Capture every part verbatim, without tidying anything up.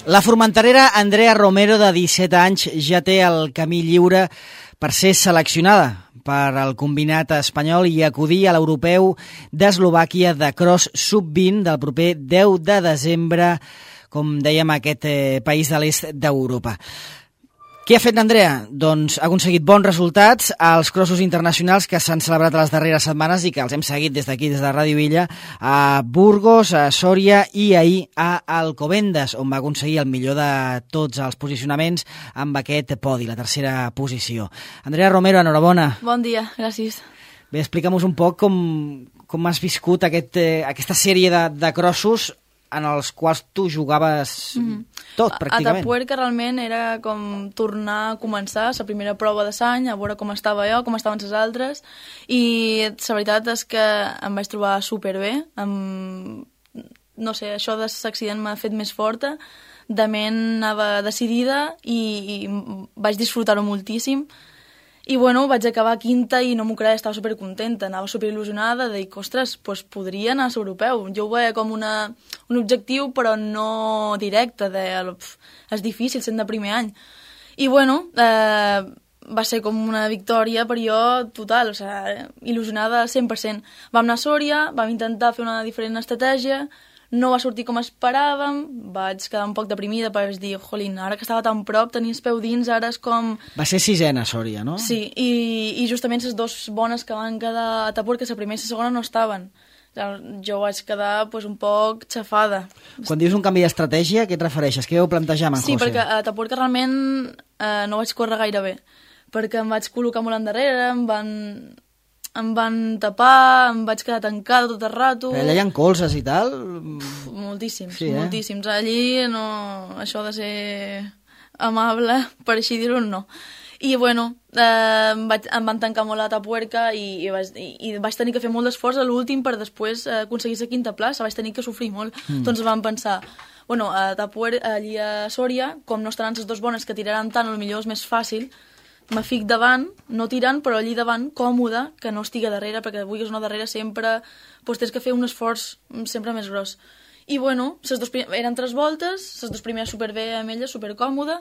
La formenterera Andrea Romero, de disset anys, ja té el camí lliure per ser seleccionada per al combinat espanyol i acudir a l'europeu d'Eslovàquia de cross sub vint del proper deu de desembre, com dèiem, a aquest eh, país de l'est d'Europa. Què ha fet l'Andrea? Doncs ha aconseguit bons resultats als crossos internacionals que s'han celebrat a les darreres setmanes i que els hem seguit des d'aquí, des de Ràdio Illa, a Burgos, a Sòria i ahir a Alcobendas, on va aconseguir el millor de tots els posicionaments amb aquest podi, la tercera posició. Andrea Romero, enhorabona. Bon dia, gràcies. Bé, explica'm-nos un poc com, com has viscut aquest, eh, aquesta sèrie de, de crossos en els quals tu jugaves mm. tot, pràcticament. A Atapuerca realment era com tornar a començar la primera prova de l'any, a veure com estava jo, com estaven les altres, i la veritat és que em vaig trobar superbé. Em... No sé, això de l'accident m'ha fet més forta, de ment anava decidida i, i vaig disfrutar-ho moltíssim. I bueno, vaig acabar quinta i no m'ho creia, estava supercontenta, anava superil·lusionada, de dir, ostres, doncs podria anar a l'europeu. Jo ho veia com una, un objectiu, però no directe, de, pf, és difícil sent de primer any. I bueno, eh, va ser com una victòria per jo total, o sigui, il·lusionada al cent per cent. Vam anar a Sòria, vam intentar fer una diferent estratègia, no va sortir com esperàvem, vaig quedar un poc deprimida perquè vaig dir, jolín, ara que estava tan prop, tenia el peu dins, ara és com... Va ser sisena, Sòria, no? Sí, i, i justament les dues bones que van quedar a Atapuerca, la primera i la segona no estaven. Jo vaig quedar pues, un poc xafada. Quan dius un canvi d'estratègia, què et refereixes? Què vau plantejar amb en Sí, José? perquè a Atapuerca realment eh, no vaig córrer gaire bé, perquè em vaig col·locar molt endarrere, em van... em van tapar, em vaig quedar tancada tot el rato... Però allà hi ha colzes i tal? Uf, moltíssims, sí, eh? moltíssims. Allí, no, això de ser amable, per així dir-ho, no. I, bueno, eh, em, vaig, em van tancar molt a Atapuerca i, i, vaig, i, i vaig tenir que fer molt d'esforç a l'últim per després eh, aconseguir la quinta plaça. Vaig tenir que sofrir molt. Mm. Doncs vam pensar, bueno, a Atapuerca, allí a Sòria, com no estaran les dues bones que tiraran tant, potser és més fàcil, me fic davant, no tirant, però allí davant, còmode, que no estigui darrere, perquè vulguis no darrere sempre, doncs tens que fer un esforç sempre més gros. I bueno, ses dos prim... eren tres voltes, les dues primeres superbé amb ella, supercòmode,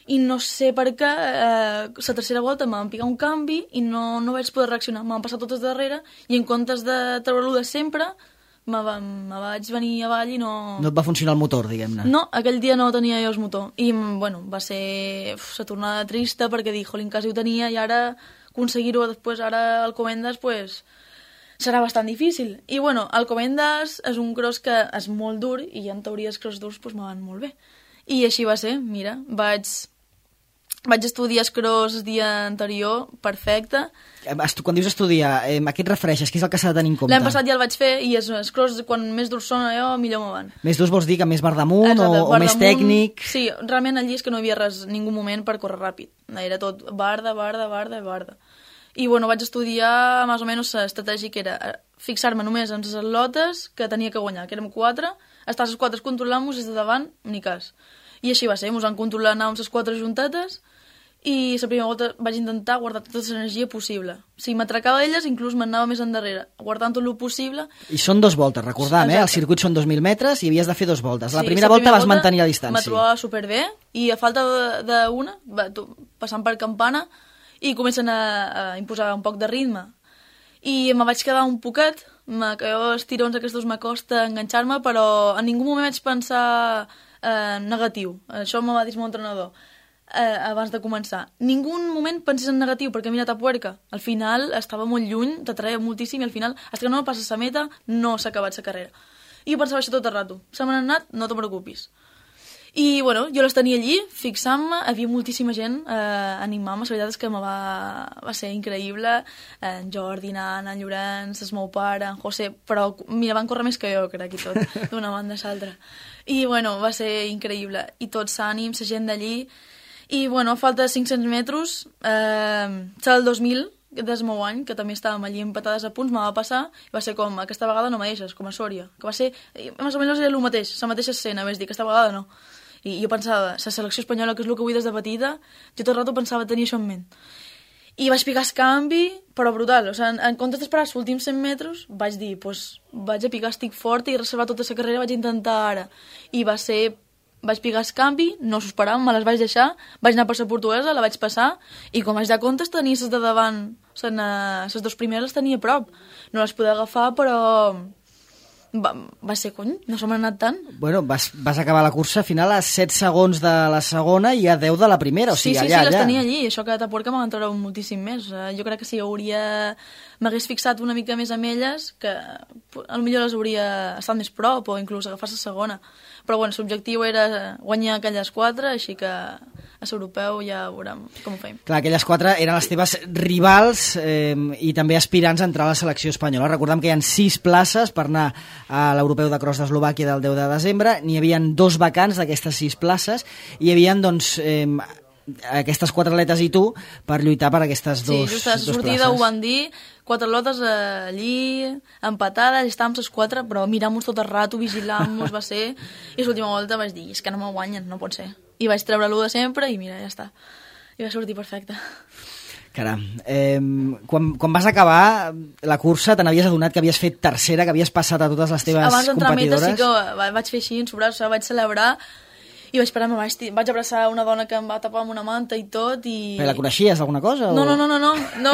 i no sé per què, eh, la tercera volta em van picar un canvi i no, no vaig poder reaccionar, m'han passat totes darrere, i en comptes de treure-lo de sempre, me, va, me vaig venir avall i no... No et va funcionar el motor, diguem-ne. No, aquell dia no tenia jo el motor. I, bueno, va ser uf, la tornada trista perquè dic, jolín, quasi ho tenia i ara aconseguir-ho després, ara al Comendas, pues, serà bastant difícil. I, bueno, el Comendas és un cross que és molt dur i en teoria els cross durs pues, me van molt bé. I així va ser, mira, vaig... Vaig estudiar cross el dia anterior, perfecte. Quan dius estudiar, eh, a què et refereixes? Què és el que s'ha de tenir en compte? L'any passat ja el vaig fer i els cross, quan més durs són allò, millor me van. Més durs vols dir que més bar damunt Exacte, o, bar o més damunt, tècnic? Sí, realment allí és que no hi havia res, ningú moment per córrer ràpid. Era tot barda, barda, barda i barda. I bueno, vaig estudiar més o menys l'estratègia que era fixar-me només en les atlotes que tenia que guanyar, que érem quatre, estar les quatre controlant-nos des de davant, ni cas. I així va ser, ens van controlar, anàvem les quatre juntetes, i la primera volta vaig intentar guardar tota l'energia possible. Si m'atracava elles, inclús m'anava més endarrere, guardant tot el possible. I són dos voltes, recordam, eh? El circuit són dos mil metres i havies de fer dos voltes. La sí, primera la volta primera vas volta mantenir la distància. M'ha trobat superbé i a falta d'una, passant per campana, i comencen a, a imposar un poc de ritme. I me vaig quedar un poquet, que jo els tirons aquests m'acosta enganxar-me, però en ningú moment vaig pensar eh, negatiu. Això me va dir el meu entrenador. Eh, abans de començar. Ningú moment pensés en negatiu, perquè mira Atapuerca, al final estava molt lluny, t'atreia moltíssim i al final, fins que no passes la meta, no s'ha acabat la carrera. I jo pensava això tot el rato. Se m'han anat, no te preocupis. I, bueno, jo les tenia allí, fixant-me, havia moltíssima gent eh, animant-me, la veritat és que me va, va ser increïble, en Jordi, en en Llorenç, el meu pare, en José, però, mira, van córrer més que jo, crec, i tot, d'una banda a l'altra. I, bueno, va ser increïble. I tots ànims, la gent d'allí. I, bueno, a falta de cinc-cents metres, eh, serà el dos mil, del meu any, que també estàvem allí empatades a punts, me va passar, i va ser com, aquesta vegada no me deixes, com a Sòria, que va ser, més o menys era el mateix, la mateixa escena, vaig dir, aquesta vegada no. I jo pensava, la selecció espanyola, que és el que vull des de petita, jo tot el rato pensava tenir això en ment. I vaig picar el canvi, però brutal, o sigui, en, en comptes d'esperar els últims cent metres, vaig dir, pues, vaig a picar estic fort i reservar tota la carrera, vaig intentar ara. I va ser vaig picar escampi, no s'ho esperava, me les vaig deixar, vaig anar per la portuguesa, la vaig passar, i quan vaig dar comptes tenia les de davant, les dues primeres les tenia a prop. No les podia agafar, però va, va ser, cony, no se m'ha anat tant. Bueno, vas, vas acabar la cursa final a set segons de la segona i a deu de la primera, o sigui, sí, sí, allà, sí, les allà. tenia allí, això que t'aporca m'ha treure moltíssim més. Jo crec que si hauria... m'hagués fixat una mica més amb elles, que potser les hauria estat més prop o inclús agafar la segona. Però bueno, l'objectiu era guanyar aquelles quatre, així que a l'europeu ja veurem com ho feim. Clar, aquelles quatre eren les teves rivals eh, i també aspirants a entrar a la selecció espanyola. Recordem que hi ha sis places per anar a l'europeu de cross d'Eslovàquia del deu de desembre. N'hi havia dos vacants d'aquestes sis places i hi havia, doncs, eh, aquestes quatre atletes i tu per lluitar per aquestes dos, sí, just a la sortida ho van dir, quatre lotes allí, empatades, estàvem les quatre, però mirant-nos tot el rato, vigilant-nos, va ser... I l'última volta vaig dir, és que no me guanyen, no pot ser. I vaig treure l'u de sempre i mira, ja està. I va sortir perfecte. Caram, eh, quan, quan vas acabar la cursa te n'havies adonat que havies fet tercera, que havies passat a totes les teves abans competidores? Abans d'entrar sí que vaig fer així, en sobrar, vaig celebrar i vaig parar, vaig, vaig abraçar una dona que em va tapar amb una manta i tot i... Però la coneixies d'alguna cosa? O... No, no, no, no, no, no.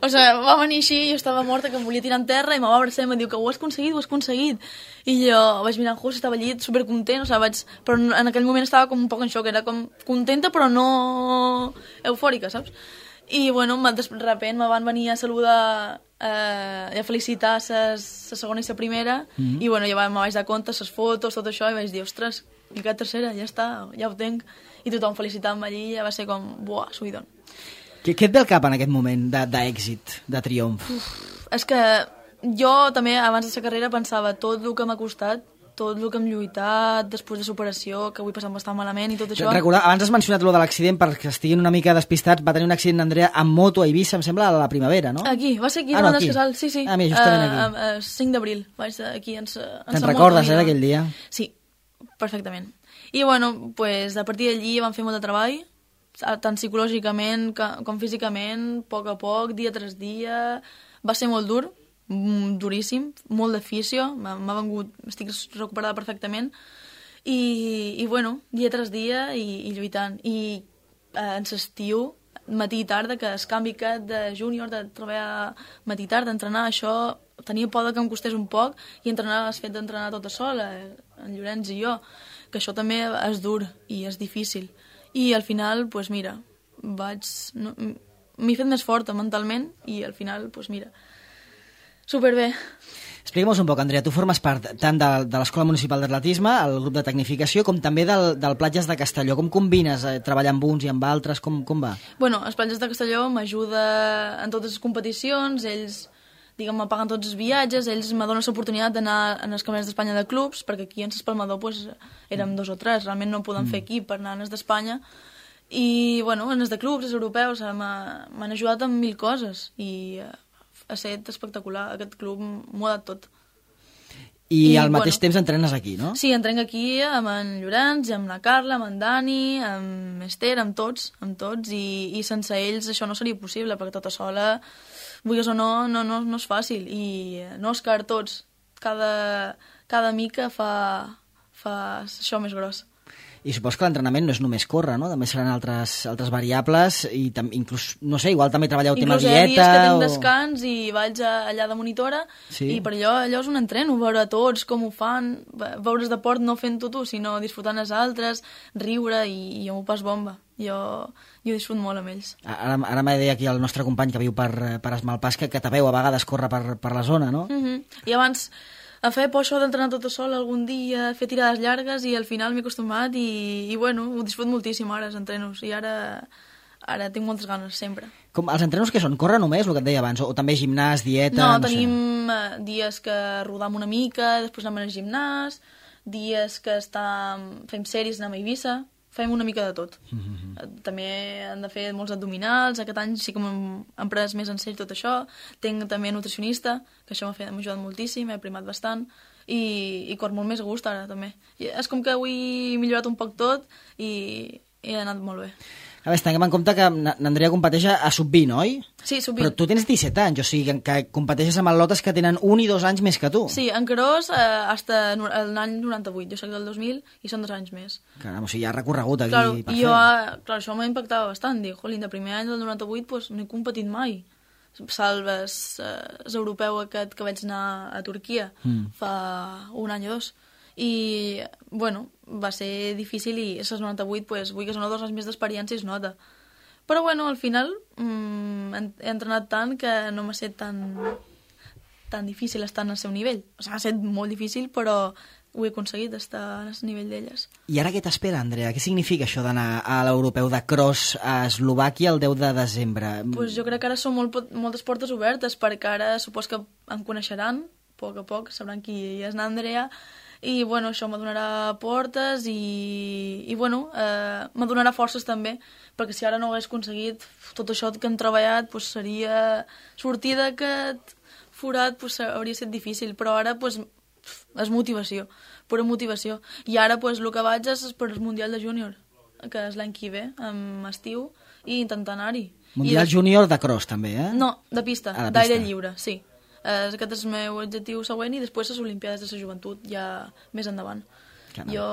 O sigui, va venir així, jo estava morta, que em volia tirar en terra i me va abraçar i em diu que ho has aconseguit, ho has aconseguit. I jo vaig mirar en José, estava allí supercontent, o sigui, vaig... però en aquell moment estava com un poc en xoc, era com contenta però no eufòrica, saps? I bueno, de repent me van venir a saludar eh, i a felicitar la segona i la primera mm-hmm. i bueno, ja me vaig dar compte, les fotos, tot això, i vaig dir, ostres, i que tercera, ja està, ja ho tenc. I tothom felicitant-me allí, ja va ser com, buah, subidon. Què, què et ve al cap en aquest moment d'èxit, de, de triomf? Uf, és que jo també, abans de la carrera, pensava tot el que m'ha costat, tot el que hem lluitat, després de superació, que avui passant bastant malament i tot això. Recorda, abans has mencionat lo de l'accident, perquè estiguin una mica despistats, va tenir un accident Andrea amb moto a Eivissa, em sembla, a la primavera, no? Aquí, va ser aquí, ah, no, no, aquí. Casal, sí, sí. Ah, mira, justament aquí. Uh, uh, cinc d'abril, vaig aquí en sa, en Te'n recordes, eh, d'aquell dia? Sí, perfectament. I bueno, pues, a partir d'allí vam fer molt de treball, tant psicològicament com físicament, a poc a poc, dia tras dia, va ser molt dur, duríssim, molt d'afició, m'ha vengut, estic recuperada perfectament, i, i bueno, dia tras dia i, i lluitant. I eh, en l'estiu, matí i tarda, que el canvi aquest de júnior, de treballar matí i tarda, d'entrenar, això tenia por que em costés un poc, i entrenar, el fet d'entrenar tota sola, en Llorenç i jo, que això també és dur i és difícil. I al final, doncs pues mira, vaig... No, m'he fet més forta mentalment i al final, doncs pues mira, superbé. Explica'm un poc, Andrea, tu formes part tant de, de l'Escola Municipal d'Atletisme, el grup de tecnificació, com també del, del Platges de Castelló. Com combines eh, treballar amb uns i amb altres? Com, com va? Bueno, els Platges de Castelló m'ajuda en totes les competicions, ells, diguem, me paguen tots els viatges, ells me donen l'oportunitat d'anar en els campionats d'Espanya de clubs, perquè aquí en l'Espalmador pues, érem dos o tres, realment no podem mm. fer equip per anar en els d'Espanya, i bueno, en els de clubs, els europeus, m'han ajudat en mil coses, i ha estat espectacular, aquest club m'ho ha dat tot. I, I al mateix bueno, temps entrenes aquí, no? Sí, entreno aquí amb en Llorenç, amb la Carla, amb en Dani, amb Esther, amb tots, amb tots, i, i sense ells això no seria possible, perquè tota sola, vulguis o no, no, no, no és fàcil, i no, Òscar, tots, cada, cada mica fa, fa això més gros. I supos que l'entrenament no és només córrer, no? També seran altres, altres variables i tam, inclús, no sé, igual també treballeu tema dieta... Inclús hi ha dies que tinc o... descans i vaig a, allà de monitora sí. I per allò, allò és un entreno, veure tots com ho fan, veure's de port no fent-ho tu, sinó disfrutant els altres, riure i, i jo m'ho pas bomba. Jo, jo disfrut molt amb ells. Ara, ara m'ha dit aquí el nostre company que viu per, per Esmalpàs que, que te veu a vegades córrer per, per la zona, no? Uh -huh. I abans... em feia por això d'entrenar tota sola algun dia, fer tirades llargues i al final m'he acostumat i, i bueno, ho disfrut moltíssim ara, els entrenos, i ara, ara tinc moltes ganes, sempre. Com, els entrenos què són? Córrer només, el que et deia abans, o, o també gimnàs, dieta... No, no tenim sé. dies que rodam una mica, després anem al gimnàs, dies que estam, fem sèries, anem a Eivissa, fem una mica de tot. Mm-hmm. També han de fer molts abdominals, aquest any sí que m'hem hem pres més en sèrio tot això, tinc també nutricionista, que això m'ha ajudat moltíssim, he primat bastant, i, i cor molt més a gust ara també. I és com que avui he millorat un poc tot i, i ha anat molt bé. A veure, tinguem en compte que n'Andrea competeix a sub vint, oi? Sí, sub vint. Però tu tens disset anys, o sigui que competeixes amb atletes que tenen un i dos anys més que tu. Sí, en cross eh, hasta l'any noranta-vuit, jo soc del dos mil i són dos anys més. Caram, o sigui, hi ha recorregut aquí claro, per i fer. Jo, clar, això m'ha impactat bastant, dic, jolín, de primer any del noranta-vuit pues, no he competit mai. Salves eh, l'europeu aquest que vaig anar a Turquia mm. fa un any o dos. I, bueno, va ser difícil i les noranta-vuit, pues, vull que són dos anys més d'experiència i es nota. Però, bueno, al final mmm, he entrenat tant que no m'ha estat tan, tan difícil estar al seu nivell. O sigui, ha estat molt difícil, però ho he aconseguit, estar al nivell d'elles. I ara què t'espera, Andrea? Què significa això d'anar a l'europeu de cross a Eslovàquia el deu de desembre? Pues jo crec que ara són molt, moltes portes obertes, perquè ara supos que em coneixeran, a poc a poc, sabran qui és l'Andrea, i bueno, això m'adonarà portes i, i bueno, eh, m'adonarà forces també, perquè si ara no ho hagués aconseguit tot això que hem treballat, pues, seria sortir d'aquest forat, pues, hauria estat difícil, però ara pues, és motivació, pura motivació, i ara pues, el que vaig és per el Mundial de Júnior, que és l'any que ve, en estiu, i intentar anar-hi. Mundial I Júnior de cross també, eh? No, de pista, ah, d'aire lliure, sí. Eh, aquest és el meu objectiu següent i després les Olimpiades de la joventut, ja més endavant. Caram. Jo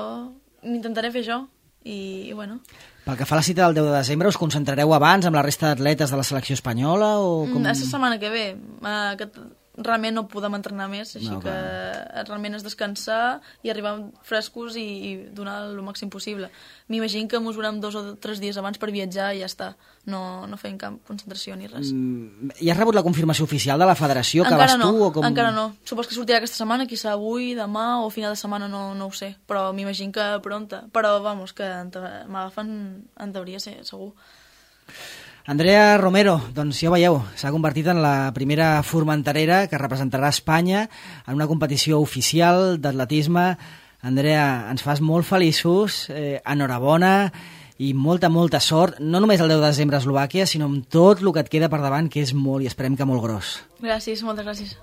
intentaré fer això i, i bueno... Pel que fa a la cita del deu de desembre, us concentrareu abans amb la resta d'atletes de la selecció espanyola o com... Mm, és la setmana que ve. Uh, aquest... Realment no podem entrenar més, així no, que realment és descansar i arribar frescos i, i donar el màxim possible. M'imagino que mesurem dos o tres dies abans per viatjar i ja està. No, no fem cap concentració ni res. Mm, I has rebut la confirmació oficial de la federació que encara vas no, tu? O com... Encara no. Supos que sortirà aquesta setmana, quizà avui, demà o final de setmana, no, no ho sé. Però m'imagino que pronta. Però, vamos, que m'agafen en teoria, segur. Andrea Romero, doncs ja ho veieu, s'ha convertit en la primera formenterera que representarà Espanya en una competició oficial d'atletisme. Andrea, ens fas molt feliços, eh, enhorabona i molta, molta sort, no només el deu de desembre a Eslovàquia, sinó amb tot el que et queda per davant, que és molt i esperem que molt gros. Gràcies, moltes gràcies.